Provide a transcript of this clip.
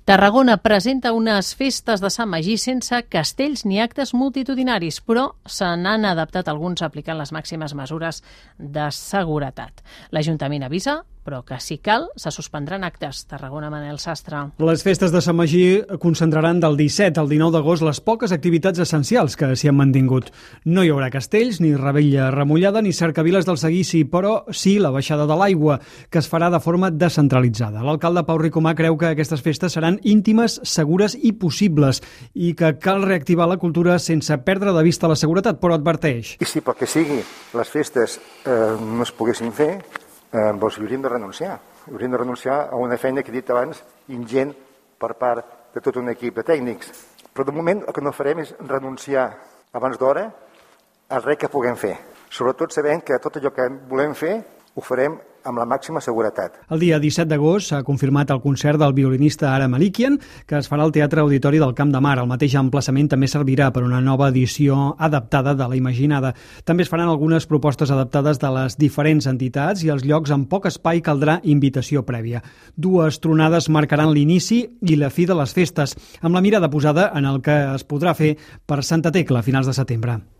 Tarragona presenta unes festes de Sant Magí sense castells ni actes multitudinaris, però se n'han adaptat alguns aplicant les màximes mesures de seguretat. L'Ajuntament avisa, però que si cal, se suspendran actes. Tarragona, Manel Sastre. Les festes de Sant Magí concentraran del 17 al 19 d'agost les poques activitats essencials que s'hi han mantingut. No hi haurà castells, ni revetlla remullada, ni cercaviles del seguici, però sí la baixada de l'aigua, que es farà de forma descentralitzada. L'alcalde Pau Ricomà creu que aquestes festes seran íntimes, segures i possibles, i que cal reactivar la cultura sense perdre de vista la seguretat, però adverteix. I si pel que sigui les festes no es poguessin fer, doncs hi hauríem de renunciar. Hauríem de renunciar a una feina que he dit abans, ingent per part de tot un equip de tècnics. Però de moment el que no farem és renunciar abans d'hora a res que puguem fer. Sobretot sabent que tot allò que volem fer ho farem amb la màxima seguretat. El dia 17 d'agost s'ha confirmat el concert del violinista Ara Malikian, que es farà al Teatre Auditori del Camp de Mar. El mateix emplaçament també servirà per una nova edició adaptada de la Imaginada. També es faran algunes propostes adaptades de les diferents entitats i els llocs amb poc espai caldrà invitació prèvia. Dues tronades marcaran l'inici i la fi de les festes, amb la mirada posada en el que es podrà fer per Santa Tecla a finals de setembre.